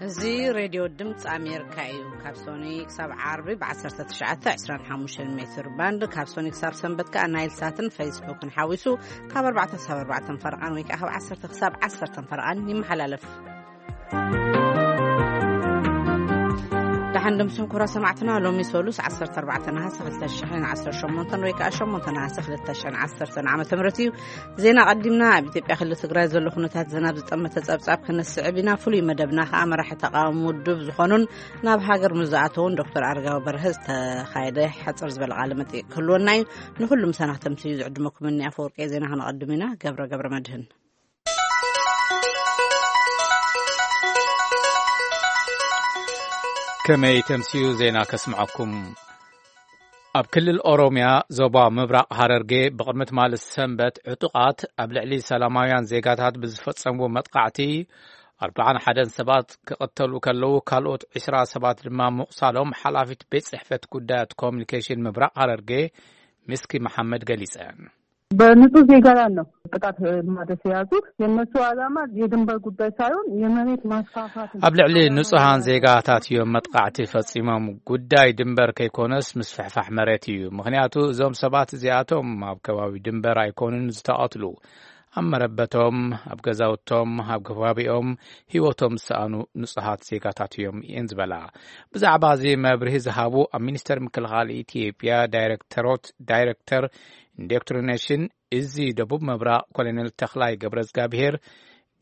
እዚ ሬድዮ ድምፂ ኣሜሪካ እዩ። ካብ ሶኒ ክሳብ ዓርቢ ብ1925 ሜትር ባንድ፣ ካብ ሶኒ ክሳብ ሰንበት ከኣ ናይል ሳትን ፌስቡክን ሓዊሱ ካብ ኣርባዕተ ክሳብ ኣርባዕተ ፈረቓን ወይ ከኣ ካብ ዓሰርተ ክሳብ ዓሰርተ ፈረቓን ይመሓላለፍ። ደሓን ድምስኩም ክቡራት ሰማዕትና፣ ሎሚ ሰሉስ ዓሰርተ ኣርባዕተ ነሓሰ ክልተ ሽሕን ዓሰርተ ሸሞንተን ወይ ከኣ ሸሞንተ ነሓሰ ክልተ ሽሕን ዓሰርተን ዓመተ ምህረት እዩ። ዜና ቀዲምና። ኣብ ኢትዮጵያ ክልል ትግራይ ዘሎ ኩነታት ዝናብ ዝጠመተ ጸብጻብ ክነስዕብ ኢና። ፍሉይ መደብና ከኣ መራሒ ተቃዋሚ ውድብ ዝኾኑን ናብ ሃገር ምስ ዝኣተውን ዶክተር ኣረጋዊ በርሀ ዝተኻየደ ሓጽር ዝበለ ቃለ መጠይቅ ክህልወና እዩ። ንኹሉ ምሳና ክተምስዩ ዝዕድመኩም እኒ ኣፈወርቂ ዜና ክነቐድም ኢና። ገብረ ገብረ መድህን። ከመይ ተምስዩ ዜና ከስምዐኩም። ኣብ ክልል ኦሮምያ ዞባ ምብራቕ ሃረርጌ ብቕድሚ ትማሊ ሰንበት ዕጡቓት ኣብ ልዕሊ ሰላማውያን ዜጋታት ብዝፈጸምዎ መጥቃዕቲ ኣርብዓን ሓደን ሰባት ክቕተሉ ከለዉ፣ ካልኦት ዕስራ ሰባት ድማ ምቑሳሎም ሓላፊት ቤት ጽሕፈት ጉዳያት ኮሚኒኬሽን ምብራቕ ሃረርጌ ምስኪ መሓመድ ገሊጸን። በንጹህ ዜጋ ላይ ነው ጥቃት ማድረስ የያዙት። የእነሱ ዓላማ የድንበር ጉዳይ ሳይሆን የመሬት ማስፋፋት ነው። ኣብ ልዕሊ ንጹሃን ዜጋታት እዮም መጥቃዕቲ ፈጺሞም። ጉዳይ ድንበር ከይኮነስ ምስፍሕፋሕ መሬት እዩ። ምኽንያቱ እዞም ሰባት እዚኣቶም ኣብ ከባቢ ድንበር ኣይኮኑን ዝተቐትሉ። ኣብ መረበቶም፣ ኣብ ገዛውቶም፣ ኣብ ከባቢኦም ህይወቶም ዝሰኣኑ ንጹሃት ዜጋታት እዮም እየን ዝበላ። ብዛዕባ እዚ መብርሂ ዝሃቡ ኣብ ሚኒስተር ምክልኻል ኢትዮጵያ ዳይሬክተሮት፣ ዳይሬክተር ኢንዶክትሪኔሽን እዚ ደቡብ ምብራቕ ኮሎኔል ተኽላይ ገብረ እግዚኣብሔር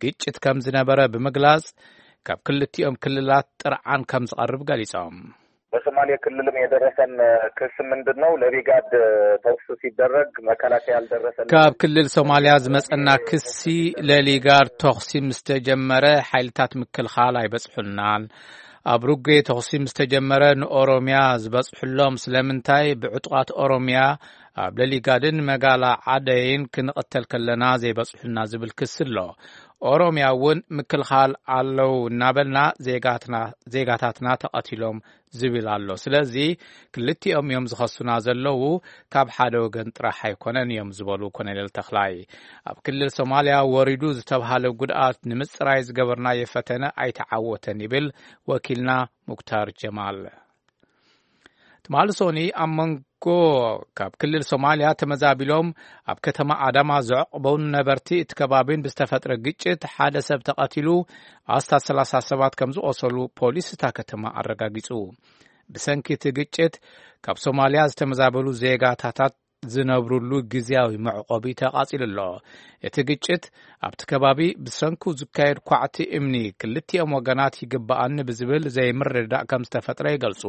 ግጭት ከም ዝነበረ ብምግላጽ፣ ካብ ክልቲኦም ክልላት ጥርዓን ከም ዝቐርብ ገሊጾም። በሶማሌ ክልልም የደረሰን ክስ ምንድን ነው? ለቢጋድ ተኩስ ሲደረግ መከላከያ አልደረሰንም። ካብ ክልል ሶማሊያ ዝመጸና ክሲ፣ ለሊጋድ ተኹሲ ምስ ተጀመረ ሓይልታት ምክልኻል ኣይበጽሑናን። ኣብ ሩጌ ተኹሲ ምስ ተጀመረ ንኦሮምያ ዝበጽሑሎም ስለምንታይ ብዕጡቓት ኦሮምያ ኣብ ለሊጋድን መጋላ ዓደይን ክንቕተል ከለና ዘይበጽሑና ዝብል ክሲ ኣሎ። ኦሮምያ እውን ምክልኻል ኣለዉ እናበልና ዜጋትና፣ ዜጋታትና ተቐቲሎም ዝብል ኣሎ። ስለዚ ክልቲኦም እዮም ዝኸሱና ዘለዉ፣ ካብ ሓደ ወገን ጥራሕ ኣይኮነን እዮም ዝበሉ ኮሎኔል ተኽላይ፣ ኣብ ክልል ሶማሊያ ወሪዱ ዝተብሃለ ጉድኣት ንምጽራይ ዝገበርናዮ ፈተነ ኣይተዓወተን ይብል ወኪልና ሙክታር ጀማል። ትማሊ ሶኒ ኣብ መንጎ ካብ ክልል ሶማሊያ ተመዛቢሎም ኣብ ከተማ ኣዳማ ዘዕቆቡ ነበርቲ እቲ ከባቢን ብዝተፈጥረ ግጭት ሓደ ሰብ ተቐቲሉ፣ ኣስታት ሰላሳ ሰባት ከም ዝቖሰሉ ፖሊስ እታ ከተማ ኣረጋጊጹ። ብሰንኪ እቲ ግጭት ካብ ሶማሊያ ዝተመዛበሉ ዜጋታታት ዝነብሩሉ ግዝያዊ መዕቆቢ ተቓጺሉ ኣሎ። እቲ ግጭት ኣብቲ ከባቢ ብሰንኩ ዝካየድ ኳዕቲ እምኒ ክልቲኦም ወገናት ይግብኣኒ ብዝብል ዘይምርድዳእ ከም ዝተፈጥረ ይገልጹ።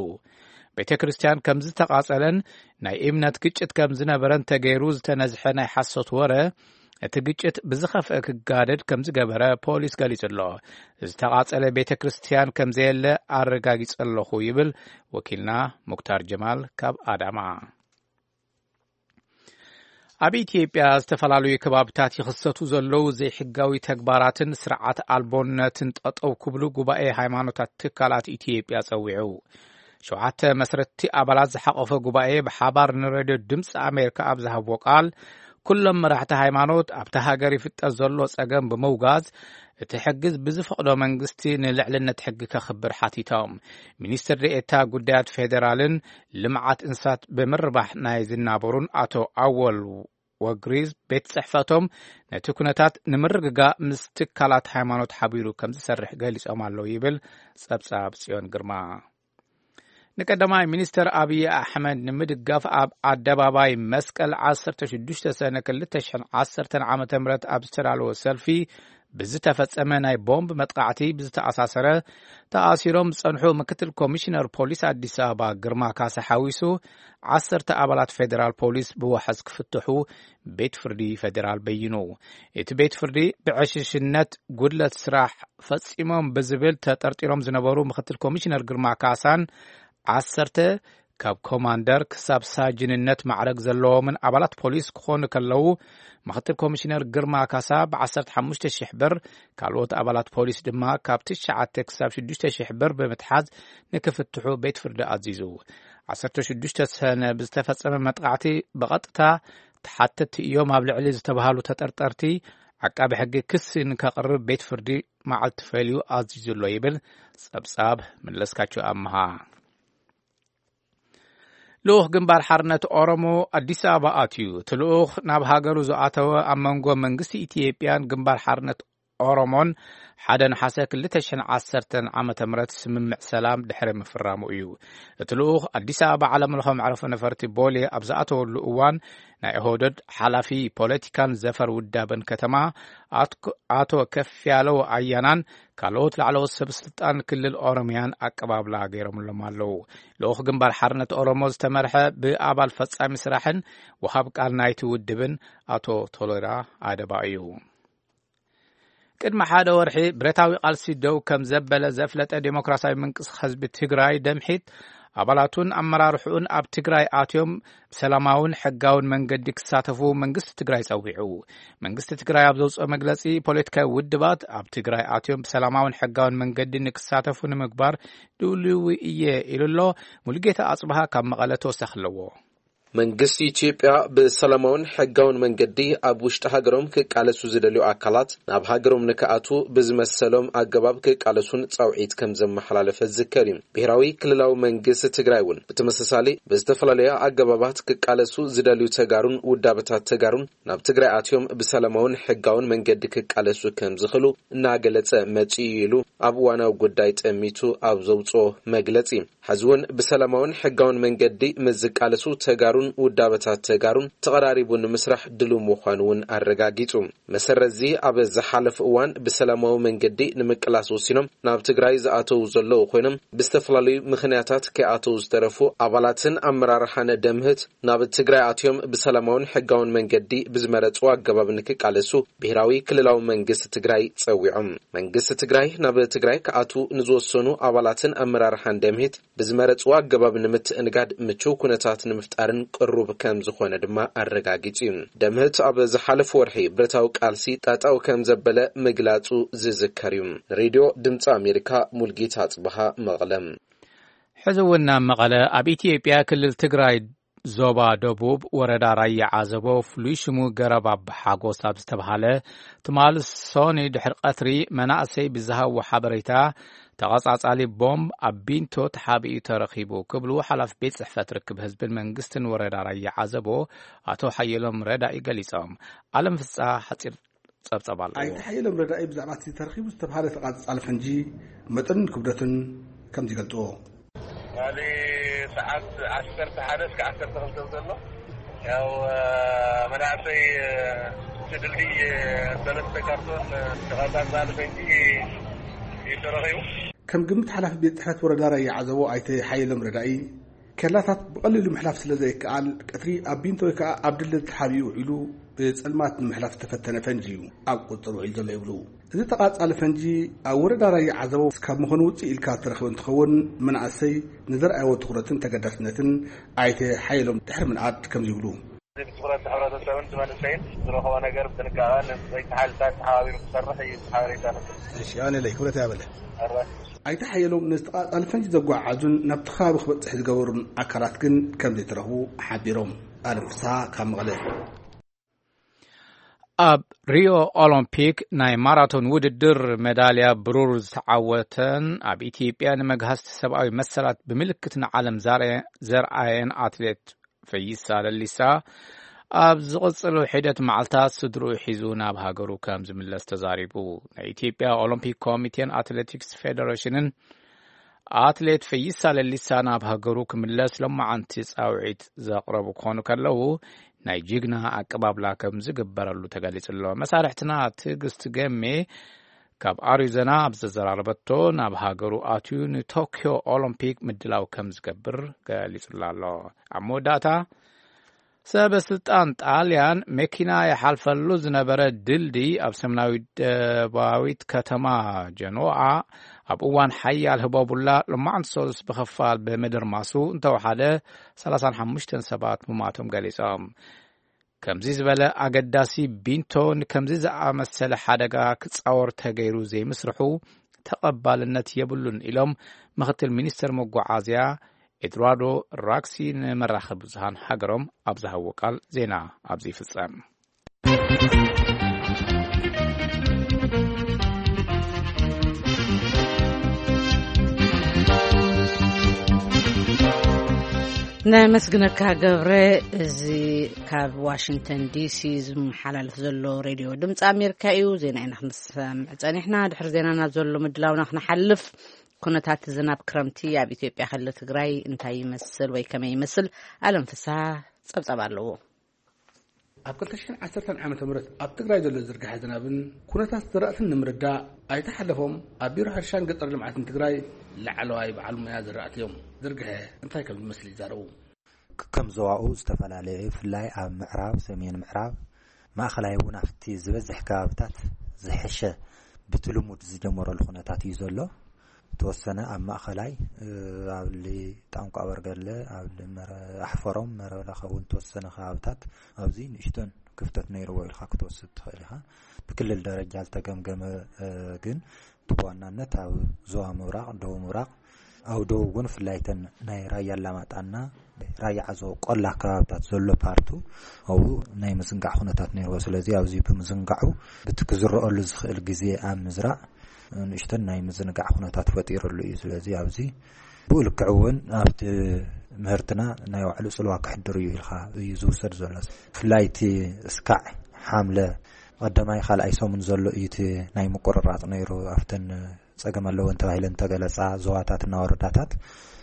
ቤተ ክርስቲያን ከም ዝተቓጸለን ናይ እምነት ግጭት ከም ዝነበረን ተገይሩ ዝተነዝሐ ናይ ሓሶት ወረ፣ እቲ ግጭት ብዝኸፍአ ክጋደድ ከም ዝገበረ ፖሊስ ገሊጹ ኣሎ። ዝተቓጸለ ቤተ ክርስቲያን ከም ዘየለ ኣረጋጊጸ ኣለኹ ይብል ወኪልና ሙክታር ጀማል ካብ ኣዳማ። ኣብ ኢትዮጵያ ዝተፈላለዩ ከባብታት ይኽሰቱ ዘለዉ ዘይሕጋዊ ተግባራትን ስርዓት ኣልቦነትን ጠጠው ክብሉ ጉባኤ ሃይማኖታት ትካላት ኢትዮጵያ ጸዊዑ። ሸውዓተ መስረትቲ ኣባላት ዝሓቆፈ ጉባኤ ብሓባር ንሬድዮ ድምፂ ኣሜሪካ ኣብ ዝሃብዎ ቃል፣ ኩሎም መራሕቲ ሃይማኖት ኣብቲ ሃገር ይፍጠር ዘሎ ጸገም ብምውጋዝ፣ እቲ ሕጊ ብዝፈቕዶ መንግስቲ ንልዕልነት ሕጊ ከኽብር ሓቲቶም። ሚኒስትር ዴኤታ ጉዳያት ፌዴራልን ልምዓት እንስሳት ብምርባሕ ናይ ዝናበሩን ኣቶ ኣወል ወግሪዝ ቤት ጽሕፈቶም ነቲ ኩነታት ንምርግጋእ ምስ ትካላት ሃይማኖት ሓቢሩ ከም ዝሰርሕ ገሊጾም ኣለዉ ይብል ጸብጻብ ጽዮን ግርማ። ንቀዳማይ ሚኒስተር ኣብይ ኣሕመድ ንምድጋፍ ኣብ ኣደባባይ መስቀል ዓሰርተ ሽዱሽተ ሰነ ክልተ ሽሕን ዓሰርተን ዓመተ ምህረት ኣብ ዝተዳለወ ሰልፊ ብዝተፈጸመ ናይ ቦምብ መጥቃዕቲ ብዝተኣሳሰረ ተኣሲሮም ዝጸንሑ ምክትል ኮሚሽነር ፖሊስ ኣዲስ ኣበባ ግርማ ካሳ ሓዊሱ ዓሰርተ ኣባላት ፌዴራል ፖሊስ ብዋሕስ ክፍትሑ ቤት ፍርዲ ፌዴራል በይኑ። እቲ ቤት ፍርዲ ብዕሽሽነት ጉድለት ስራሕ ፈጺሞም ብዝብል ተጠርጢሮም ዝነበሩ ምክትል ኮሚሽነር ግርማ ካሳን ዓሰርተ ካብ ኮማንደር ክሳብ ሳጅንነት ማዕረግ ዘለዎምን ኣባላት ፖሊስ ክኾኑ ከለዉ፣ ምክትል ኮሚሽነር ግርማ ካሳ ብ15,000 ብር፣ ካልኦት ኣባላት ፖሊስ ድማ ካብ ትሽዓተ ክሳብ ሽዱሽተ ሽሕ ብር ብምትሓዝ ንክፍትሑ ቤት ፍርዲ ኣዚዙ። ዓሰርተ ሽዱሽተ ሰነ ብዝተፈጸመ መጥቃዕቲ ብቐጥታ ተሓተትቲ እዮም ኣብ ልዕሊ ዝተባሃሉ ተጠርጠርቲ ዓቃቢ ሕጊ ክሲ ንከቕርብ ቤት ፍርዲ መዓልቲ ፈልዩ ኣዚዙ ኣሎ ይብል ጸብጻብ መለስካቸው ኣምሃ። ልኡኽ ግንባር ሓርነት ኦሮሞ ኣዲስ ኣበባ ኣትዩ። እቲ ልኡኽ ናብ ሃገሩ ዝኣተወ ኣብ መንጎ መንግስቲ ኢትዮጵያን ግንባር ሓርነት ኦሮሞን ሓደ ነሓሰ ክልተ ሽሕን ዓሰርተን ዓመተ ምህረት ስምምዕ ሰላም ድሕሪ ምፍራሙ እዩ። እቲ ልኡኽ ኣዲስ ኣበባ ዓለም ለኸ መዕረፎ ነፈርቲ ቦሌ ኣብ ዝኣተወሉ እዋን ናይ ኦህደድ ሓላፊ ፖለቲካን ዘፈር ውዳበን ከተማ ኣትኮ-፣ ኣቶ ከፍ ያለው ኣያናን ካልኦት ላዕለዎት ሰብ ስልጣን ክልል ኦሮሚያን ኣቀባብላ ገይሮምሎም ኣለዉ። ልኡኽ ግንባር ሓርነት ኦሮሞ ዝተመርሐ ብኣባል ፈጻሚ ስራሕን ወሃብ ቃል ናይቲ ውድብን ኣቶ ቶሎራ ኣደባ እዩ። ቅድሚ ሓደ ወርሒ ብረታዊ ቃልሲ ደው ከም ዘበለ ዘፍለጠ ዴሞክራሲያዊ ምንቅስቃስ ህዝቢ ትግራይ ደምሒት ኣባላቱን ኣመራርሕኡን ኣብ ትግራይ ኣትዮም ብሰላማውን ሕጋውን መንገዲ ክሳተፉ መንግስቲ ትግራይ ጸዊዑ። መንግስቲ ትግራይ ኣብ ዘውፅኦ መግለጺ ፖለቲካዊ ውድባት ኣብ ትግራይ ኣትዮም ብሰላማውን ሕጋውን መንገዲ ንክሳተፉ ንምግባር ድልዊ እየ ኢሉ ኣሎ። ሙሉጌታ ኣጽብሃ ካብ መቐለ ተወሳኺ ኣለዎ። መንግስቲ ኢትዮጵያ ብሰላማውን ሕጋውን መንገዲ ኣብ ውሽጢ ሃገሮም ክቃለሱ ዝደልዩ ኣካላት ናብ ሃገሮም ንክኣቱ ብዝመሰሎም ኣገባብ ክቃለሱን ጻውዒት ከም ዘመሓላለፈ ዝዝከር እዩ። ብሔራዊ ክልላዊ መንግስቲ ትግራይ እውን ብተመሳሳሊ ብዝተፈላለዩ ኣገባባት ክቃለሱ ዝደልዩ ተጋሩን ውዳበታት ተጋሩን ናብ ትግራይ ኣትዮም ብሰላማውን ሕጋውን መንገዲ ክቃለሱ ከም ዝኽእሉ እናገለጸ መጺኡ ኢሉ ኣብ እዋናዊ ጉዳይ ጠሚቱ ኣብ ዘውጽኦ መግለጺ። ሕዚ እውን ብሰላማውን ሕጋውን መንገዲ ምስ ዝቃለሱ ተጋሩን ውዳበታት ተጋሩን ተቐራሪቡ ንምስራሕ ድሉው ምዃኑ እውን ኣረጋጊጹ። መሰረትዚ ኣብ ዝሓለፈ እዋን ብሰላማዊ መንገዲ ንምቅላስ ወሲኖም ናብ ትግራይ ዝኣተዉ ዘለዉ ኮይኖም ብዝተፈላለዩ ምኽንያታት ከይኣተዉ ዝተረፉ ኣባላትን ኣመራርሓን ደምህት ናብ ትግራይ ኣትዮም ብሰላማውን ሕጋውን መንገዲ ብዝመረጽዎ ኣገባብ ንክቃለሱ ብሔራዊ ክልላዊ መንግስቲ ትግራይ ጸዊዖም። መንግስቲ ትግራይ ናብ ትግራይ ክኣትዉ ንዝወሰኑ ኣባላትን ኣመራርሓን ደምህት ብዝመረጽዎ ኣገባብ ንምትእንጋድ ምቹው ኩነታት ንምፍጣርን ቅሩብ ከም ዝኾነ ድማ ኣረጋጊጹ እዩ። ደምህት ኣብ ዝሓለፈ ወርሒ ብረታዊ ቃልሲ ጠጠው ከም ዘበለ ምግላጹ ዝዝከር እዩ። ንሬድዮ ድምፂ ኣሜሪካ ሙልጌታ ኣጽብሃ መቐለ። ሕዚ እውን ናብ መቐለ ኣብ ኢትዮጵያ ክልል ትግራይ ዞባ ደቡብ ወረዳ ራያ ዓዘቦ ፍሉይ ሽሙ ገረብ ኣብ ሓጎስ ኣብ ዝተብሃለ ትማሊ ሶኒ ድሕሪ ቀትሪ መናእሰይ ብዝሃብዎ ሓበሬታ ተቐጻጻሊ ቦምብ ኣብ ቢንቶ ተሓቢኡ ተረኺቡ ክብሉ ሓላፊ ቤት ጽሕፈት ርክብ ህዝብን መንግስትን ወረዳ ራያ ዓዘቦ ኣቶ ሓየሎም ረዳኢ ገሊጾም። ኣለም ፍስሓ ሓጺር ጸብጸብ ኣለዎ። ኣይተ ሓየሎም ረዳኢ ብዛዕባ እቲ ተረኺቡ ዝተብሃለ ተቓጻጻሊ ፈንጂ መጠንን ክብደትን ከምዚ ይገልጽዎ። ካሊ ሰዓት ዓሰርተ ሓደ እስከ ዓሰርተ ክልተ ዘሎ ያው መናእሰይ እቲ ድልድይ ሰለስተ ካርቶን ተቓጻጻሊ ፈንጂ እዩ ተረኺቡ። ከም ግምት ሓላፊ ቤት ጽሕፈት ወረዳ ራያ ዓዘቦ ኣይተ ሓየሎም ረዳኢ፣ ኬላታት ብቐሊሉ ምሕላፍ ስለ ዘይከኣል፣ ቀትሪ ኣብ ቢንቶ ወይ ከኣ ኣብ ድልድል ተሓቢኡ ውዒሉ ብጸልማት ንምሕላፍ ዝተፈተነ ፈንጂ እዩ ኣብ ቁጽጽር ውዒሉ ዘሎ ይብሉ። እዚ ተቓጻሊ ፈንጂ ኣብ ወረዳ ራያ ዓዘቦ ካብ ምዃኑ ውጽእ ኢልካ ዝተረኽበ እንትኸውን፣ መናእሰይ ንዘርኣይዎ ትኹረትን ተገዳስነትን ኣይተ ሓየሎም ድሕሪ ምንኣድ ከምዚ ይብሉ። እዚ ብትኹረት ሕብረተሰብን እቲ መንእሰይን ዝረኸቦ ነገር ብጥንቃቐ ንፀይቲ ሓይልታት ተሓባቢሩ ክሰርሕ እዩ ሓበሬታ ንብል። እሺ፣ ኣነ ለይ ክብረት ያበለ። ኣረ። ኣይተ ሓየሎም ነዚ ተቓጻሊ ፈንጂ ዘጓዓዙን ናብቲ ከባቢ ክበጽሕ ዝገበሩን ኣካላት ግን ከም ዘይተረኽቡ ሓቢሮም። ኣለም ፍስሓ ካብ መቐለ። ኣብ ሪዮ ኦሎምፒክ ናይ ማራቶን ውድድር ሜዳልያ ብሩር ዝተዓወተን ኣብ ኢትዮጵያ ንመግሃስቲ ሰብኣዊ መሰላት ብምልክት ንዓለም ዛረ-፣ ዘርኣየን ኣትሌት ፈይሳ ለሊሳ ኣብ ዝቕጽሉ ሒደት መዓልታት ስድርኡ ሒዙ ናብ ሃገሩ ከም ዝምለስ ተዛሪቡ። ናይ ኢትዮጵያ ኦሎምፒክ ኮሚቴን ኣትሌቲክስ ፌደሬሽንን ኣትሌት ፈይሳ ለሊሳ ናብ ሃገሩ ክምለስ ሎማዓንቲ ጻውዒት ዘቕረቡ ክኾኑ ከለዉ፣ ናይ ጅግና ኣቀባብላ ከም ዝግበረሉ ተገሊጹ ኣሎ። መሳርሕትና ትዕግስቲ ገሜ ካብ ኣሪዞና ኣብ ዘዘራረበቶ፣ ናብ ሃገሩ ኣትዩ ንቶክዮ ኦሎምፒክ ምድላው ከም ዝገብር ገሊጹላ ኣሎ። ኣብ መወዳእታ፣ ሰበ ስልጣን ጣልያን መኪና ይሓልፈሉ ዝነበረ ድልድይ ኣብ ሰሜናዊት ደቡባዊት ከተማ ጀኖኣ ኣብ እዋን ሓያል ህቦቡላ ሎማዕንቲ ሰሉስ ብኸፋል ብምድርማሱ እንተወሓደ ሰላሳን ሓሙሽተን ሰባት ምማቶም ገሊጾም። ከምዚ ዝበለ ኣገዳሲ ቢንቶ ንከምዚ ዝኣመሰለ ሓደጋ ክጻወር ተገይሩ ዘይምስርሑ ተቐባልነት የብሉን ኢሎም ምኽትል ሚኒስተር መጓዓዝያ ኤድዋርዶ ራክሲ ንመራኸቢ ብዙሃን ሃገሮም ኣብ ዝሃብዎ ቃል። ዜና ኣብዚ ይፍጸም። ነመስግነካ ገብረ። እዚ ካብ ዋሽንግተን ዲሲ ዝመሓላለፍ ዘሎ ሬድዮ ድምፂ ኣሜሪካ እዩ። ዜና ኢና ክንሰምዕ ፀኒሕና። ድሕሪ ዜና ናብ ዘሎ ምድላውና ክንሓልፍ፣ ኩነታት ዝናብ ክረምቲ ኣብ ኢትዮጵያ ክልል ትግራይ እንታይ ይመስል ወይ ከመይ ይመስል? ኣለም ፍስሃ ፀብፀብ ኣለዎ። ኣብ ክልተ ሽሕን ዓሰርተን ዓመተ ምህረት ኣብ ትግራይ ዘሎ ዝርግሐ ዝናብን ኩነታት ዘራእትን ንምርዳእ ኣይተሓለፎም ኣብ ቢሮ ሕርሻን ገጠር ልምዓትን ትግራይ ላዕለዋይ በዓል ሞያ ዘራእቲ እዮም። ዝርግሐ እንታይ ከም ዝመስል ይዛረቡ። ከም ዞባኡ ዝተፈላለየ፣ ብፍላይ ኣብ ምዕራብ፣ ሰሜን ምዕራብ፣ ማእኸላይ እውን ኣብቲ ዝበዝሕ ከባብታት ዝሐሸ ብቲ ልሙድ ዝጀመረሉ ኩነታት እዩ ዘሎ። ተወሰነ ኣብ ማእኸላይ፣ እ፣ ኣብ ሊ ጣንቋ በርገለ፣ ኣብ ሊ መረ-፣ ኣሕፈሮም፣ መረበለኸ እውን ተወሰነ ከባብታት ኣብዚ ንእሽቶን ክፍተት ነይርዎ ኢልካ ክትወስድ ትኽእል ኢኻ። ብክልል ደረጃ ዝተገምገመ፣ እ፣ ግን እቲ ብዋናነት ኣብ ዞባ ምብራቕ፣ ደቡብ ምብራቕ፣ ኣብ ደቡብ እውን ብፍላይ እተን ናይ ራያ ኣላማጣና ራያ ዓዞ ቆላ ከባብታት ዘሎ ፓርቱ ኣብኡ ናይ ምዝንጋዕ ኩነታት ነይርዎ። ስለዚ ኣብዚ ብምዝንጋዑ ብቲ ክዝረአሉ ዝኽእል ግዜ ኣብ ምዝራእ ንእሽተን ናይ ምዝንጋዕ ኩነታት ፈጢሩሉ እዩ። ስለዚ ኣብዚ ብኡ ልክዕ እውን ኣብቲ ምህርትና ናይ ባዕሉ ጽልዋ ክሕድር እዩ ኢልካ እዩ ዝውሰድ ዘሎ። ብፍላይ እቲ እስካዕ ሓምለ ቀዳማይ ካልኣይ ሰሙን ዘሎ እዩ እቲ ናይ ምቁርራጽ ነይሩ። ኣብተን ጸገም ኣለወን ተባሂለን ተገለጻ ዞባታትና ወረዳታት፣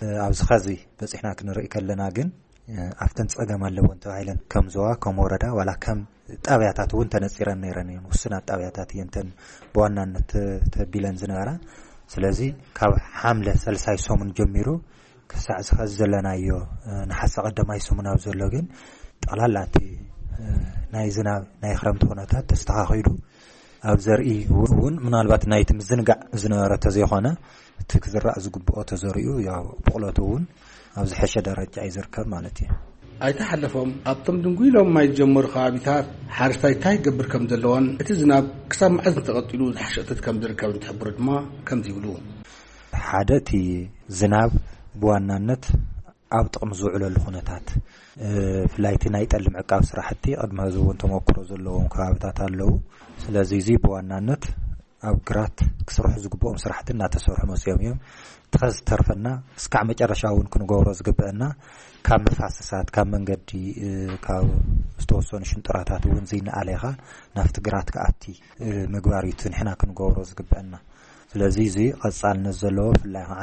እ፣ ኣብዚ ኸዚ በጺሕና ክንርኢ ከለና ግን፣ እ፣ ኣብተን ጸገም ኣለወን ተባሂለን ከም ዞባ፣ ከም ወረዳ፣ ዋላ ከም ጣብያታት እውን ተነጺረን ነይረን እየን። ውሱናት ጣብያታት እየን እተን ብዋናነት ተ-፣ ተቢለን ዝነበራ። ስለዚ ካብ ሓምለ ሳልሳይ ሰሙን ጀሚሩ ክሳዕ እዚ ኸዚ ዘለናዮ፣ እ፣ ነሓሰ ቀዳማይ ሰሙን ኣብ ዘሎ ግን ጠቕላላ እቲ፣ እ፣ ናይ ዝናብ ናይ ክረምቲ ኩነታት ተስተኻኺሉ ኣብ ዘርኢ እውን ምናልባት ናይቲ ምዝንጋዕ ዝነበረ ተዘይኾነ እቲ ክዝራእ ዝግብኦ ተዘሪኡ፣ ያው ብቕለቱ እውን ኣብ ዝሐሸ ደረጃ እዩ ዝርከብ ማለት እዩ። ኣይተሓለፎም ኣብቶም ድንጉይሎም ማይ ዝጀመሩ ከባቢታት ሓረስታይ እንታይ ይገብር ከም ዘለዎን እቲ ዝናብ ክሳብ መዓዝ እንተቐጢሉ ዝሓሸ እቶት ከም ዝርከብ እንትሕብሩ ድማ ከምዚ ይብሉ። ሓደ እቲ ዝናብ ብዋናነት ኣብ ጥቕሚ ዝውዕለሉ ኩነታት፣ እ፣ ብፍላይ እቲ ናይ ጠሊ ምዕቃብ ስራሕቲ ቅድሚ ሕዚ እውን ተመክሮ ዘለዎም ከባብታት ኣለዉ። ስለዚ እዚ ብዋናነት ኣብ ግራት ክስርሑ ዝግብኦም ስራሕቲ እናተሰርሑ መፅዮም እዮም። እቲ ኸዚ ዝተርፈና እስካዕ መጨረሻ እውን ክንገብሮ ዝግብአና ካብ መፋሰሳት፣ ካብ መንገዲ፣ እ፣ ካብ ዝተወሰኑ ሽንጥራታት እውን ዘይነኣሌኻ ናብቲ ግራት ክኣቲ፣ እ፣ ምግባር እዩ እቲ ንሕና ክንገብሮ ዝግብአና። ስለዚ እዚ ቐጻልነት ዘለዎ ብፍላይ ኸዓ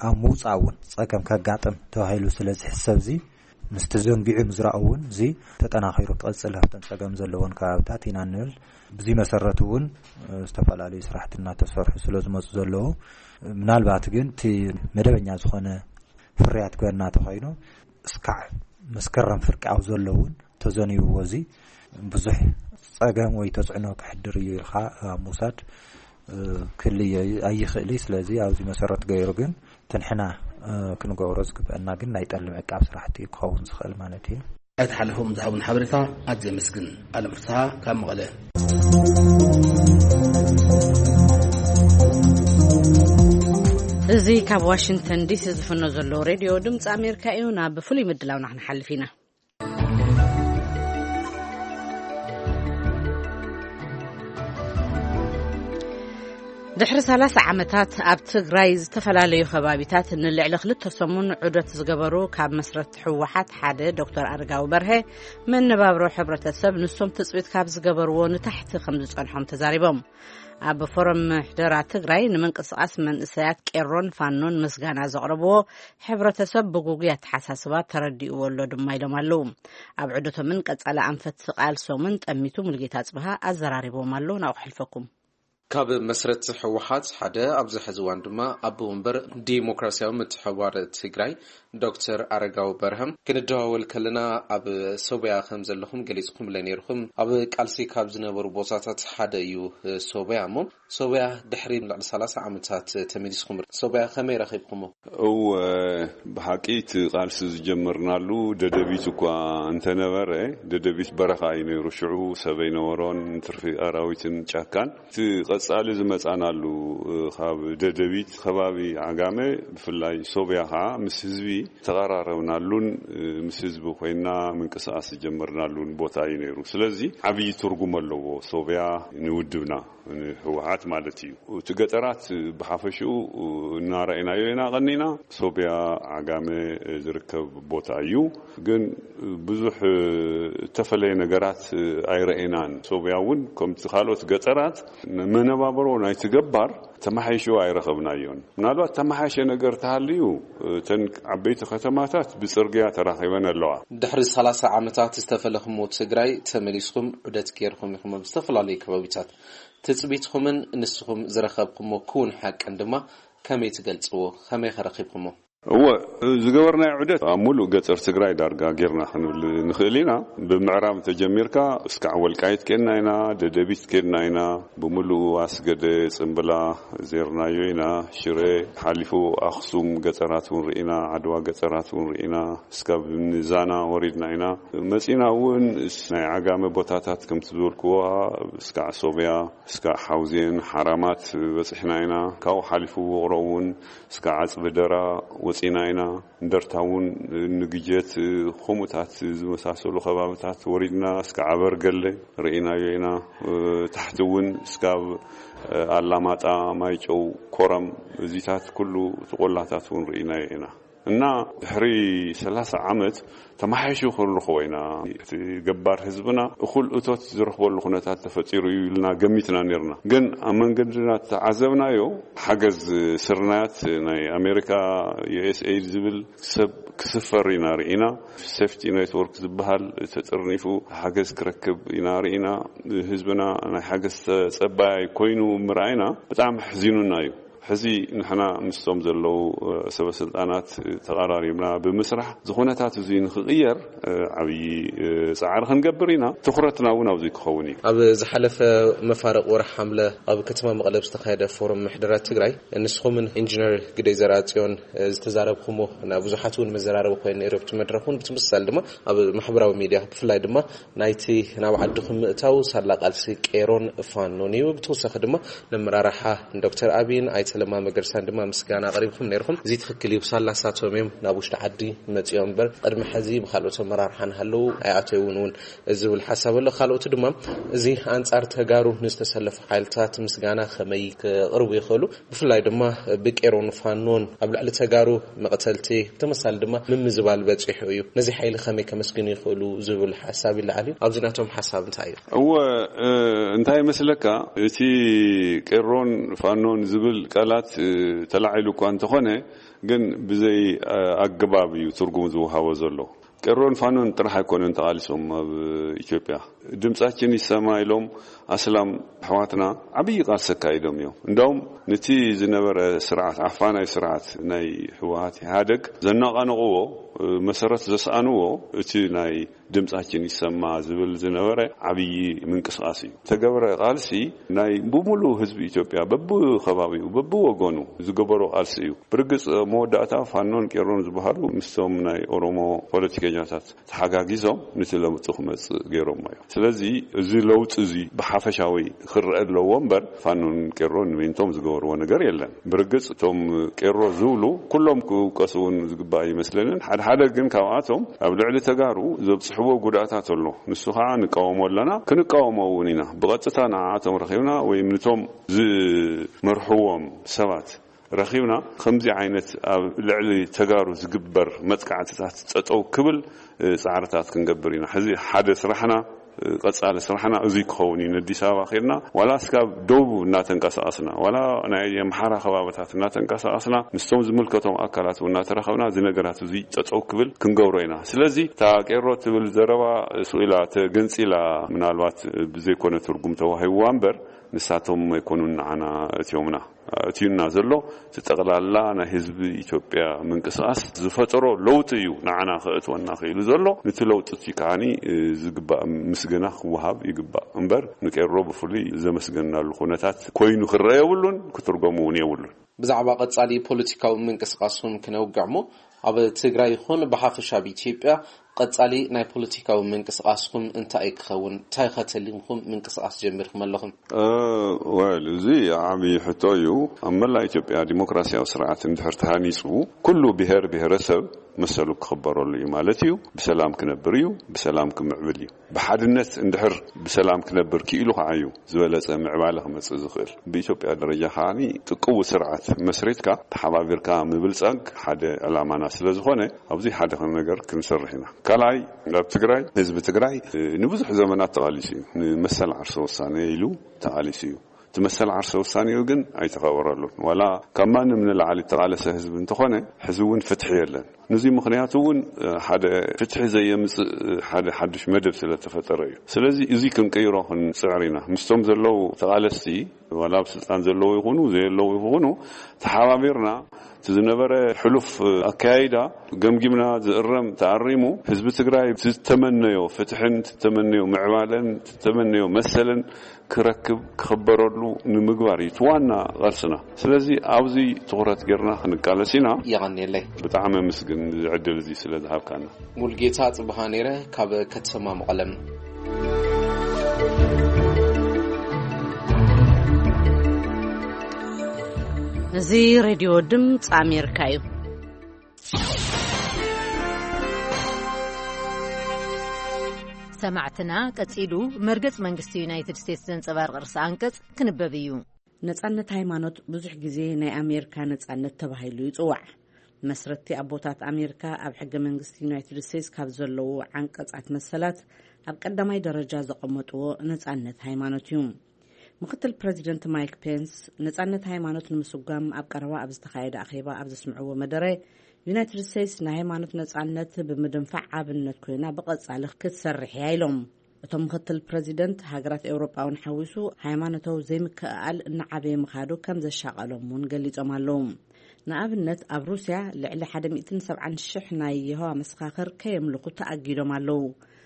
ኣብ ምውጻእ እውን ጸገም ከጋጥም ተባሂሉ ስለ ዝሕሰብ እዚ ምስቲ ዘንጊዑ ምዝራእ እውን እዚ ተጠናኺሩ ክቕጽል ኣብተን ጸገም ዘለዎን ከባብታት ኢና ንብል። ብዚ መሰረት እውን፣ እ፣ ዝተፈላለዩ ስራሕቲ እናተሰርሑ ስለ ዝመፁ ዘለዉ ምናልባት ግን እቲ መደበኛ ዝኾነ ፍርያት ክበና ተኾይኑ እስካዕ መስከረም ፍርቂ ኣብ ዘሎ እውን ተዘንይዎ እዚ ብዙሕ ጸገም ወይ ተጽዕኖ ክሕድር እዩ ኢልካ ኣብ ምውሳድ፣ እ፣ ክህልዮ ኣይኽእል እዩ። ስለዚ ኣብዚ መሰረት ገይሩ ግን ትንሕና፣ እ፣ ክንገብሮ ዝግበአና ግን ናይ ጠሊ ምዕቃብ ስራሕቲ እዩ ክኸውን ዝኽእል ማለት እዩ። ኣይተሓለፎም ዝሃቡን ሓበሬታ ኣዝየ የመስግን። ኣለም ፍስሓ ካብ መቐለ። እዚ ካብ ዋሽንግተን ዲሲ ዝፍኖ ዘሎ ሬድዮ ድምፂ ኣሜሪካ እዩ። ናብ ፍሉይ ምድላውና ክንሓልፍ ኢና። ድሕሪ ሰላሳ ዓመታት ኣብ ትግራይ ዝተፈላለዩ ከባቢታት ንልዕሊ ክልተ ሰሙን ዑደት ዝገበሩ ካብ መስረቲ ህወሓት ሓደ ዶክተር ኣረጋዊ በርሀ፣ መነባብሮ ሕብረተሰብ ንሶም ትፅቢት ካብ ዝገበርዎ ንታሕቲ ከም ዝፀንሖም ተዛሪቦም። ኣብ ፎረም ምሕደራ ትግራይ ንምንቅስቃስ መንእሰያት ቄሮን ፋኖን ምስጋና ዘቕረብዎ፣ ሕብረተሰብ ብጉጉይ ኣተሓሳስባ ተረዲእዎ ኣሎ ድማ ኢሎም ኣለዉ። ኣብ ዑደቶምን ቀጻሊ ኣንፈት ቃልሶምን ጠሚቱ ሙሉጌታ ጽብሃ ኣዘራሪቦም ኣሎ። ናብኡ ክሕልፈኩም። ካብ መስረቲ ህወሓት ሓደ ኣብዚ ሕዚ እዋን ድማ ኣቦ ወንበር ዲሞክራሲያዊ ምትሕብባር ትግራይ ዶክተር ኣረጋዊ በርሀም ክንደዋወል ከለና ኣብ ሶብያ ከም ዘለኹም ገሊጽኩምለ ነይርኹም። ኣብ ቃልሲ ካብ ዝነበሩ ቦታታት ሓደ እዩ ሶብያ። እሞ ሶብያ ድሕሪ ልዕሊ ሰላሳ ዓመታት ተመሊስኩም። ሶብያ ከመይ ረኺብኩሞ? እወ፣ ብሓቂ እቲ ቃልሲ ዝጀመርናሉ ደደቢት እኳ እንተነበረ፣ ደደቢት በረኻ እዩ ነይሩ። ሽዑ ሰብ ኣይነበሮን፣ ትርፊ ኣራዊትን ጫካን። እቲ ቀጻሊ ዝመጻናሉ፣ እ፣ ካብ ደደቢት ከባቢ ዓጋመ፣ ብፍላይ ሶብያ ኸዓ ምስ ህዝቢ ተቐራረብናሉን፣ እ፣ ምስ ህዝቢ ኮይና ምንቅስቓስ ዝጀመርናሉን ቦታ እዩ ነይሩ። ስለዚ ዓብዪ ትርጉም ኣለዎ ሶብያ ንውድብና፣ ንህወሓት ማለት እዩ። እቲ ገጠራት ብሓፈሽኡ እናረኣይናዮ ኢና ቀኒና። ሶብያ ዓጋመ ዝርከብ ቦታ እዩ። ግን ብዙሕ እተፈለየ ነገራት ኣይረኣናን። ሶብያ እውን ከምቲ ካልኦት ገጠራት መነባብሮ ናይቲ ገባር ተመሓይሹ ኣይረኸብናዮን። ምናልባት ተመሓየሸ ነገር ተሃልዩ፣ እተን ዓበይቲ ከተማታት ብጽርግያ ተራኺበን ኣለዋ። ድሕሪ ሰላሳ ዓመታት ዝተፈለኹሞ ትግራይ ተመሊስኩም ዑደት ገይርኩም ኢኹም ኣብ ዝተፈላለዩ ከባቢታት። ትጽቢትኩምን ንስኹም ዝረኸብኩሞ ክውን ሓቅን ድማ ከመይ ትገልጽዎ? ከመይ ከረኺብኩሞ? እወ፣ ዝገበርናዮ ዑደት ኣብ ሙሉእ ገጠር ትግራይ ዳርጋ ጌርና ክንብል ንኽእል ኢና። ብምዕራብ ተጀሚርካ እስካዕ ወልቃይት ኬድና ኢና፣ ደደቢት ኬድና ኢና፣ ብምሉእ ኣስገደ፣ ጽምብላ ዜርናዮ ኢና፣ ሽረ ሓሊፉ ኣኽሱም ገጠራት እውን ርኢና፣ ዓድዋ ገጠራት እውን ርኢና፣ እስካብ ንዛና ወሪድና ኢና። መጺና እውን ናይ ዓጋመ ቦታታት ከምቲ ዝበልክዎ እስካዕ ሶብያ፣ እስካዕ ሓውዜን፣ ሓራማት በጺሕና ኢና። ካብኡ ሓሊፉ ውቕሮ እውን እስካዕ ዓጽቢ ደራ ወጺና ኢና። እንደርታ እውን ንግጀት፣ ከምኡታት ዝመሳሰሉ ከባብታት ወሪድና እስካዕ ኣበርገለ ርኢናዮ ኢና። ታሕቲ እውን እስካብ ኣላማጣ፣ ማይጨው፣ ኮረም፣ እዚታት ኩሉ እቲ ቆላታት እውን ርኢናዮ ኢና። እና ድሕሪ ሰላሳ ዓመት ተማሓይሹ ክንረኽቦ ኢና። እቲ ገባር ህዝብና እኹል እቶት ዝረኽበሉ ኩነታት ተፈጢሩ እዩ ኢልና ገሚትና ነርና። ግን ኣብ መንገድና ተዓዘብናዮ ሓገዝ ስርናያት ናይ ኣሜሪካ፣ ዩ ኤስ ኤይድ ዝብል ሰብ ክስፈር ኢና ርኢና። ሴፍቲ ኔትወርክ ዝበሃል ተጠርኒፉ ሓገዝ ክረክብ ኢና ርኢና። ህዝብና ናይ ሓገዝ ተጸባያይ ኮይኑ ምርኣይና ብጣዕሚ ኣሕዚኑና እዩ። ሕዚ ንሕና ምስቶም ዘለዉ ሰበ ስልጣናት ተቐራሪብና ብምስራሕ እዚ ኩነታት እዚ ንኽቕየር ዓብዪ ጻዕሪ ክንገብር ኢና። ትኹረትና እውን ኣብዚ ክኸውን እዩ። ኣብ ዝሓለፈ መፋርቕ ወርሒ ሓምለ ኣብ ከተማ መቐለ ዝተኻየደ ፎረም ምሕደራ ትግራይ ንስኹምን ኢንጂነር ግደይ ዘርኣጽዮን ዝተዛረብኩሞ፣ ናብ ብዙሓት እውን መዘራረቢ ኮይኑ ነይሩ ኣብቲ መድረኽ እውን። ብትምሳል ድማ ኣብ ማሕበራዊ ሚድያ ብፍላይ ድማ ናይቲ ናብ ዓድኹም ምእታው ሳላ ቃልሲ ቄሮን ፋኖን እዩ። ብተወሳኺ ድማ ነመራርሓ ዶክተር ኣብይን ኣይተ ለማ መገርሳን ድማ ምስጋና ኣቕሪብኩም ነይርኹም። እዚ ትኽክል እዩ። ሳላ ሳቶም እዮም ናብ ውሽጢ ዓዲ መፂኦም እምበር ቅድሚ ሕዚ ብካልኦት ኣመራርሓ ንሃለዉ ኣይኣተውን እውን ዝብል ሓሳብ ኣሎ። ካልኦት ድማ እዚ ኣንጻር ተጋሩ ንዝተሰለፉ ሓይልታት ምስጋና ከመይ ከቕርቡ ይኽእሉ? ብፍላይ ድማ ብቄሮን ፋኖን ኣብ ልዕሊ ተጋሩ መቕተልቲ ብተመሳሊ ድማ ምምዝባል በጺሑ እዩ። ነዚ ሓይሊ ከመይ ከመስግኑ ይኽእሉ ዝብል ሓሳብ ይለዓል እዩ። ኣብዚ ናቶም ሓሳብ እንታይ እዩ? እወ፣ እ፣ እንታይ ይመስለካ፣ እቲ ቄሮን ፋኖን ዝብል ቃላት፣ እ፣ ተላዒሉ እኳ እንተኾነ፣ ግን ብዘይ፣ እ፣ ኣገባብ እዩ ትርጉም ዝወሃቦ ዘሎ። ቄሮን ፋኖን ጥራሕ ኣይኮነን ተቓሊሶም ኣብ ኢትዮጵያ። ድምጻችን ይሰማ ኢሎም ኣስላም ኣሕዋትና ዓብዪ ቃልሲ ኣካይዶም እዮም። እንዳውም ነቲ ዝነበረ ስርዓት፣ ዓፋናይ ስርዓት ናይ ህወሓት ኢህኣደግ ዘነቓነቕዎ፣ መሰረት ዘስኣንዎ እቲ ናይ ድምጻችን ይሰማ ዝብል ዝነበረ ዓብዪ ምንቅስቓስ እዩ። ተገብረ ቃልሲ ናይ ብምሉእ ህዝቢ ኢትዮጵያ በብኸባቢኡ በብወገኑ ዝገበሮ ቃልሲ እዩ። ብርግጽ መወዳእታ ፋኖን ቄሮን ዝበሃሉ ምስቶም ናይ ኦሮሞ ፖለቲከኛታት ተሓጋጊዞም ነቲ ለውጢ ክመጽእ ገይሮሞ እዮም። ስለዚ እዚ ለውጢ እዚ ብሓፈሻዊ ክረአ ኣለዎ እምበር ፋኖን ቄሮን ንሜንቶም ዝገበርዎ ነገር የለን። ብርግጽ እቶም ቄሮ ዝብሉ ኩሎም ክውቀሱ እውን ዝግባእ ኣይመስለንን። ሓደ ሓደ ግን ካብኣቶም ኣብ ልዕሊ ተጋሩ ዘብጽሕዎ ጉድኣታት ኣሎ። ንሱ ከዓ ንቃወሞ ኣለና፣ ክንቃወሞ እውን ኢና። ብቐጥታ ንዓኣቶም ረኺብና ወይም ንቶም ዝመርሕዎም ሰባት ረኺብና ከምዚ ዓይነት ኣብ ልዕሊ ተጋሩ ዝግበር መጥቃዕትታት ጠጠው ክብል፣ እ፣ ጻዕርታት ክንገብር ኢና። ሕዚ ሓደ ስራሕና፣ እ፣ ቀጻሊ ስራሕና እዙይ ክኸውን እዩ። ንኣዲስ ኣበባ ኸድና ዋላ እስካብ ደቡብ እናተንቀሳቐስና፣ ዋላ ናይ ኣምሓራ ከባብታት እናተንቀሳቐስና ምስቶም ዝምልከቶም ኣካላት እውን እናተራኸብና እዚ ነገራት እዙይ ጠጠው ክብል ክንገብሮ ኢና። ስለዚ እታ ቄሮ ትብል ዘረባ ስኢላ ተገንጺላ ምናልባት ብዘይኮነ ትርጉም ተዋሂብዋ እምበር ንሳቶም ኣይኮኑን ንዓና እትዮምና። እትዩና ዘሎ እቲ ጠቕላላ ናይ ህዝቢ ኢትዮጵያ ምንቅስቓስ ዝፈጠሮ ለውጢ እዩ ንዓና ከእትወና ክኢሉ ዘሎ። ነቲ ለውጢ እቲ ከዓኒ ዝግባእ ምስገና ክወሃብ ይግባእ እምበር ንቄሮ ብፍሉይ ዘመስገናሉ ኩነታት ኮይኑ ክረአ የብሉን፣ ክትርገሙ እውን የብሉን። ብዛዕባ ቀጻሊ ፖለቲካዊ ምንቅስቓስኩም ክነውግዕ እሞ ኣብ ትግራይ ይኹን ብሓፈሻ ኣብ ኢትዮጵያ ቀጻሊ ናይ ፖለቲካዊ ምንቅስቓስኩም እንታይ እዩ ክኸውን? እንታይ ኸ ተሊምኩም ምንቅስቓስ ጀሚርኩም ኣለኹም? እ፣ ወል፣ እዚ ዓቢ ሕቶ እዩ። ኣብ መላእ ኢትዮጵያ ዲሞክራሲያዊ ስርዓት እንድሕር ተሃኒጹ፣ ኩሉ ብሄር ብሄረሰብ መሰሉ ክኽበረሉ እዩ ማለት እዩ። ብሰላም ክነብር እዩ፣ ብሰላም ክምዕብል እዩ። ብሓድነት እንድሕር ብሰላም ክነብር ክኢሉ ከዓ እዩ ዝበለጸ ምዕባለ ክመጽእ ዝኽእል። ብኢትዮጵያ ደረጃ ከዓ ጥቅው ስርዓት መስሪትካ ተሓባቢርካ ምብልጻግ ሓደ ዕላማና ስለ ዝኾነ፣ ኣብዚ ሓደ ነገር ክንሰርሕ ኢና። ካልኣይ፣ ኣብ ትግራይ፣ ህዝቢ ትግራይ ንብዙሕ ዘመናት ተቓሊሱ እዩ። ንመሰል ዓርሰ ውሳኔ ኢሉ ተቓሊሱ እዩ። እቲ መሰል ዓርሰ ውሳኔኡ ግን ኣይተኸበረሉን። ዋላ ካብ ማንም ንላዕሊ እተቓለሰ ህዝቢ እንተኾነ፣ ሕዚ እውን ፍትሒ የለን። ነዚ ምኽንያቱ እውን ሓደ ፍትሒ ዘየምጽእ ሓደ ሓድሽ መደብ ስለ ተፈጠረ እዩ። ስለዚ እዚ ክንቅይሮ ክንጽዕር ኢና። ምስቶም ዘለዉ ተቓለስቲ፣ ዋላ ኣብ ስልጣን ዘለዉ ይኹኑ ዘየለዉ ይኹኑ፣ ተሓባቢርና እቲ ዝነበረ ሕሉፍ ኣከያይዳ ገምጊምና፣ ዝእረም ተኣሪሙ፣ ህዝቢ ትግራይ ዝተመነዮ ፍትሕን ዝተመነዮ ምዕባለን ዝተመነዮ መሰልን ክረክብ፣ ክኽበረሉ ንምግባር እዩ እቲ ዋና ቃልስና። ስለዚ ኣብዚ ትኹረት ጌርና ክንቃለስ ኢና። የቐንየለይ። ብጣዕሚ ኣመስግን እዚ ዕድል እዚ ስለ ዝሃብካና። ሙልጌታ ጽብሃ ነይረ ካብ ከተማ መቐለም። እዚ ሬድዮ ድምፂ ኣሜሪካ እዩ። ሰማዕትና፣ ቀጺሉ መርገጽ መንግስቲ ዩናይትድ ስቴትስ ዘንጸባርቕ ርእሰ ኣንቀጽ ክንበብ እዩ። ነጻነት ሃይማኖት ብዙሕ ግዜ ናይ ኣሜሪካ ነጻነት ተባሂሉ ይጽዋዕ። መስረትቲ ኣቦታት ኣሜሪካ ኣብ ሕገ መንግስቲ ዩናይትድ ስቴትስ ካብ ዘለዉ ዓንቀጻት መሰላት ኣብ ቀዳማይ ደረጃ ዘቐመጥዎ ነጻነት ሃይማኖት እዩ። ምክትል ፕረዚደንት ማይክ ፔንስ ነጻነት ሃይማኖት ንምስጓም ኣብ ቀረባ ኣብ ዝተኻየደ ኣኼባ ኣብ ዘስምዕዎ መደረ፣ ዩናይትድ ስቴትስ ናይ ሃይማኖት ነጻነት ብምድንፋዕ ኣብነት ኮይና ብቐጻሊ ክትሰርሕ እያ ኢሎም። እቶም ምክትል ፕረዚደንት፣ ሃገራት ኤውሮጳ እውን ሓዊሱ ሃይማኖታዊ ዘይምክእኣል እናዓበየ ምኻዱ ከም ዘሻቐሎም እውን ገሊጾም ኣለዉ። ንኣብነት፣ ኣብ ሩስያ ልዕሊ ሓደ ሚእትን ሰብዓን ሽሕ ናይ የሆዋ መሰኻኽር ከየምልኹ ተኣጊዶም ኣለዉ።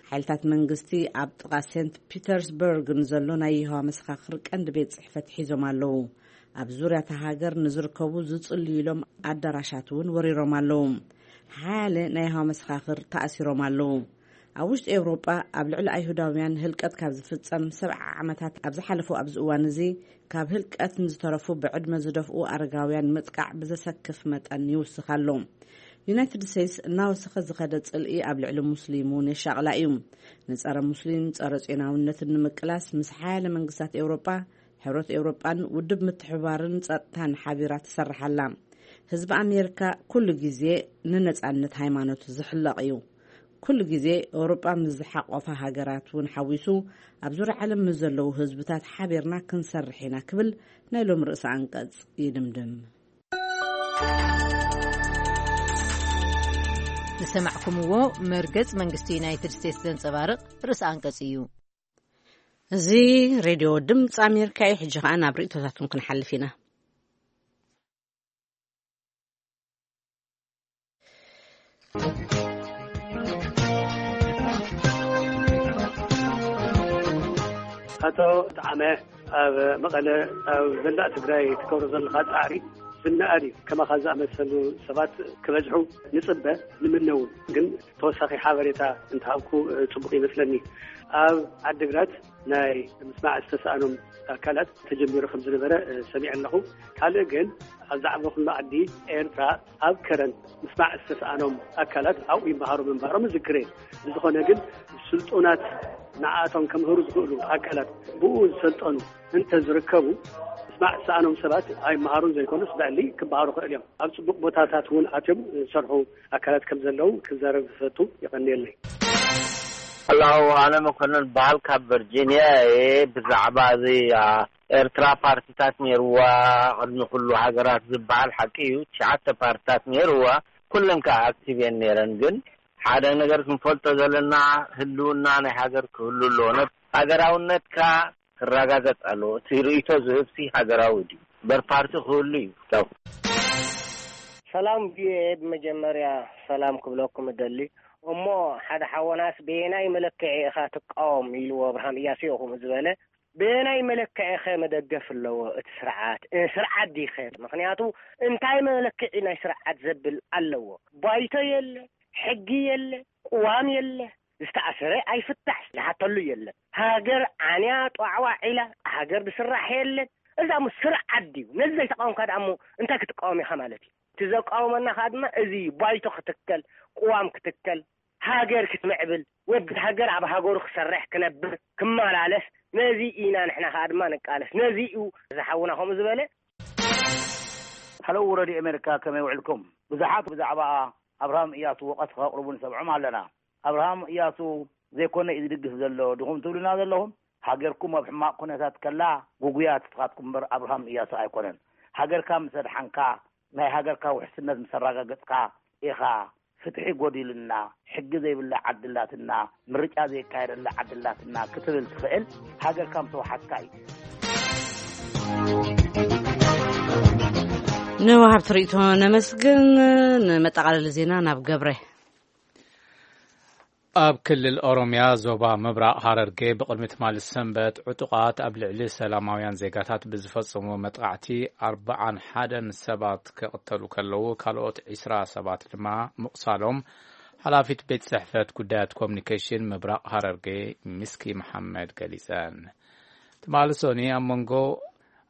ሓይልታት መንግስቲ ኣብ ጥቓ ሴንት ፒተርስበርግ ንዘሎ ናይ የሆዋ መሰኻኽር ቀንዲ ቤት ጽሕፈት ሒዞም ኣለዉ። ኣብ ዙርያ እታ ሃገር ንዝርከቡ ዝጽልዩሎም ኣዳራሻት እውን ወሪሮም ኣለዉ። ሓያለ ናይ የሆዋ መሰኻኽር ተኣሲሮም ኣለዉ። ኣብ ውሽጢ ኤውሮጳ ኣብ ልዕሊ ኣይሁዳውያን ህልቀት ካብ ዝፍጸም ሰብዓ ዓመታት ኣብ ዝሓለፉ ኣብዚ እዋን እዚ፣ ካብ ህልቀት ንዝተረፉ ብዕድመ ዝደፍኡ ኣረጋውያን ምጥቃዕ ብዘሰክፍ መጠን ይውስኽ ኣሎ። ዩናይትድ ስቴትስ እናወሰኸ ዝኸደ ጽልኢ ኣብ ልዕሊ ሙስሊም እውን የሻቕላ እዩ። ንጸረ ሙስሊም ጸረ ጽዮናውነትን ንምቅላስ ምስ ሓያለ መንግስታት ኤውሮጳ፣ ሕብረት ኤውሮጳን ውድብ ምትሕብባርን ጸጥታን ሓቢራ ትሰርሕ ኣላ። ህዝቢ ኣሜሪካ ኩሉ ግዜ ንነጻነት ሃይማኖት ዝሕለቕ እዩ። ኩሉ ግዜ ኤውሮጳ ምስ ዝሓቆፋ ሃገራት እውን ሓዊሱ ኣብ ዙርያ ዓለም ምስ ዘለዉ ህዝብታት ሓቢርና ክንሰርሕ ኢና ክብል ናይ ሎም ርእሰ ኣንቀጽ ይድምድም። ዝሰማዕኩምዎ መርገጽ መንግስቲ ዩናይትድ ስቴትስ ዘንጸባርቕ ርእሰ ኣንቀጽ እዩ። እዚ ሬድዮ ድምፂ ኣሜሪካ እዩ። ሕጂ ኸኣ ናብ ርእይቶታትኩም ክንሓልፍ ኢና። ኣቶ ጠዓመ፣ ኣብ መቐለ ኣብ ዘላእ ትግራይ ትገብሮ ዘለኻ ጻዕሪ ዝነኣድ እዩ። ከማኻ ዝኣመሰሉ ሰባት ክበዝሑ ንጽበ፣ ንምነ እውን። ግን ተወሳኺ ሓበሬታ እንተሃብኩ፣ እ፣ ጽቡቕ ይመስለኒ። ኣብ ዓዲግራት ናይ ምስማዕ ዝተሳእኖም ኣካላት ተጀሚሩ ከም ዝነበረ፣ እ፣ ሰሚዐ ኣለኹ። ካልእ ግን ኣብ ዝዓበኹሉ ዓዲ ኤርትራ ኣብ ከረን ምስማዕ ዝተሳእኖም ኣካላት ኣብኡ ይመሃሩ ምንባሮም እዝክር እየ። ብዝኾነ ግን ስልጡናት ንዓኣቶም ከምህሩ ዝኽእሉ ኣካላት ብኡ ዝሰልጠኑ እንተ ዝርከቡ ምስማዕ ዝተሳእኖም ሰባት ኣይመሃሩን ዘይኮኑስ ብዕሊ ክበሃሩ ክእል እዮም። ኣብ ጽቡቕ ቦታታት እውን ኣትዮም ዝሰርሑ ኣካላት ከም ዘለዉ ክዛረብ ዝፈቱ። የቐንየለይ። ሄሎ፣ ኣነ መኮንን በሃል ካብ ቨርጂንያ እየ። ብዛዕባ እዚ፣ ኣ፣ ኤርትራ ፓርቲታት ነይርዋ፣ ቅድሚ ኩሉ ሃገራት ዝበሃል ሓቂ እዩ። ትሽዓተ ፓርቲታት ነይርዋ፣ ኩለን ከኣ ኣክቲቭ እየን ነይረን። ግን ሓደ ነገር ክንፈልጦ ዘለና፣ ህልውና ናይ ሃገር ክህሉ ኣለዎ። ነ-፣ ሃገራውነትካ ክረጋገጽ ኣለዎ። እቲ ርእይቶ ዝህብሲ ሃገራዊ ድዩ? እምበር ፓርቲ ክህሉ እዩ። ቻው። ሰላም ቪኦኤ፣ ብመጀመርያ ሰላም ክብለኩም እደሊ። እሞ ሓደ ሓወናስ በየናይ መለክዒ ኢኻ ትቃወም ኢልዎ ኣብርሃም እያሱ እዩ ከምኡ ዝበለ። በየናይ መለክዒ ኸ መደገፍ ኣለዎ እቲ ስርዓት? እ፣ ስርዓት ዲኸ? ምኽንያቱ እንታይ መለክዒ ናይ ስርዓት ዘብል ኣለዎ? ባይቶ የለ፣ ሕጊ የለ፣ ቅዋም የለ፣ ዝተኣሰረ ኣይፍታሕ፣ ዝሓተሉ የለን። ሃገር ዓንያ ጧዕዋ ዒላ፣ ሃገር ዝስራሕ የለን። እዛ ሞ ስርዓት ድዩ? ነዚ ዘይተቃወምካ ደኣ እሞ እንታይ ክትቃወም ኢኻ ማለት እዩ? እቲ ዘቃወመና ከኣ ድማ እዚ እዩ፣ ባይቶ ክትከል፣ ቅዋም ክትከል፣ ሃገር ክትምዕብል፣ ወዲ ሃገር ኣብ ሃገሩ ክሰርሕ፣ ክነብር፣ ክመላለስ፣ ነዚ ኢና ንሕና ከኣ ድማ ንቃለስ። ነዚ እዩ እዚ ሓውና ከምኡ ዝበለ። ሃሎ፣ ረድዮ ኣሜሪካ፣ ከመይ ውዕልኩም? ብዙሓት ብዛዕባ ኣብርሃም እያሱ ወቐስ ከቕርቡ ንሰምዖም ኣለና። ኣብርሃም እያሱ ዘይኮነ እዩ ዝድግፍ ዘሎ ድኹም ትብሉና ዘለኹም? ሃገርኩም ኣብ ሕማቕ ኩነታት ከላ፣ ጉጉያት ንስኻትኩም እምበር ኣብርሃም እያሱ ኣይኮነን። ሃገርካ ምስ ኣድሓንካ፣ ናይ ሃገርካ ውሕስነት ምስ ኣረጋገጽካ ኢኻ፣ ፍትሒ ጎዲሉና፣ ሕጊ ዘይብላ ዓዲ ኣላትና፣ ምርጫ ዘይካየደላ ዓዲ ኣላትና ክትብል ትኽእል። ሃገርካ ምስ ወሓስካ እዩ። ንወሃብቲ ርእይቶ ነመስግን። ንመጠቓለሊ ዜና ናብ ገብረ። ኣብ ክልል ኦሮምያ ዞባ ምብራቕ ሃረርጌ ብቕድሚ ትማሊ ሰንበት ዕጡቓት ኣብ ልዕሊ ሰላማውያን ዜጋታት ብዝፈጸምዎ መጥቓዕቲ ኣርብዓን ሓደን ሰባት ክቕተሉ ከለዉ፣ ካልኦት ዒስራ ሰባት ድማ ምቑሳሎም ሓላፊት ቤት ጽሕፈት ጉዳያት ኮሙኒኬሽን ምብራቕ ሃረርጌ ሚስኪ መሓመድ ገሊጸን። ትማሊ ሶኒ ኣብ መንጎ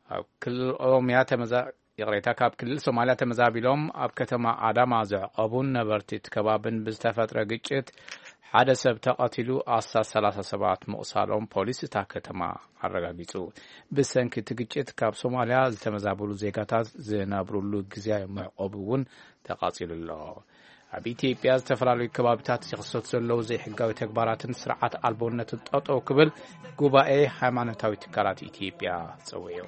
ኣብ ክልል ኦሮምያ ተመዛ-፣ ይቕሬታ፣ ካብ ክልል ሶማልያ ተመዛቢሎም ኣብ ከተማ ኣዳማ ዘዕቆቡን ነበርቲ እቲ ከባብን ብዝተፈጥረ ግጭት ሓደ ሰብ ተቐቲሉ፣ ኣስታት ሰላሳ ሰባት ምቑሳሎም ፖሊስ እታ ከተማ ኣረጋጊጹ። ብሰንኪ እቲ ግጭት ካብ ሶማልያ ዝተመዛበሉ ዜጋታት ዝነብሩሉ ግዝያዊ መዕቆቢ እውን ተቓጺሉ ኣሎ። ኣብ ኢትዮጵያ ዝተፈላለዩ ከባቢታት ዝኽሰቱ ዘለዉ ዘይሕጋዊ ተግባራትን ስርዓት ኣልቦነትን ጠጠው ክብል ጉባኤ ሃይማኖታዊ ትካላት ኢትዮጵያ ጸዊዑ።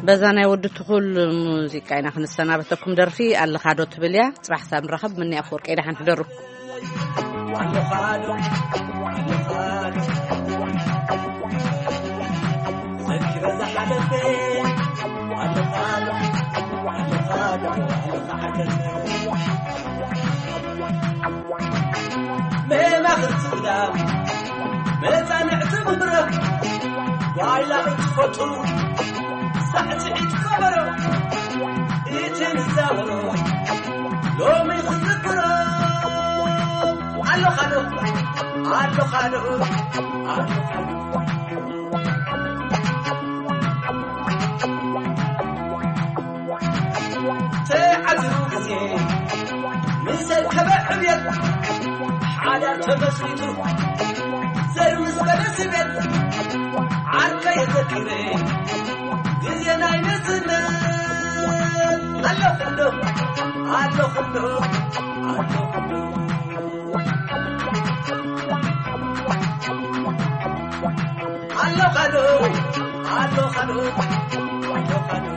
በዛ ናይ ወዲ ትኹል ሙዚቃ ኢና ክንሰናበተኩም። ደርፊ ኣለኻዶ ትብል እያ። ጽባሕ ሳብ ንራኸብ። ምኒ ኣፈወርቂ፣ ደሓን ሕደሩ። መማኽርቲ ግዳ መጻንዕቲ መድረኽ ዋይላ እትፈቱ ሳዕስዒት ከበሮ እቲ ንዛወሮ ሎሚ ክዝክሮ ኣለኻዶ ኣለኻዶ ኣለኻዶ ተዓዚቡ ግዜ ምስ ኣከበ ዕብየት ሓዳር ተመስሪቱ ዘር ምስ በለ ስቤት ዓርከ የዘኪረ ግዜ ናይ ንእስነት ኣለኹ ዶ ኣለኹ ዶ ኣለኹ ዶ ኣለኻዶ ኣለኻዶ ኣለኻዶ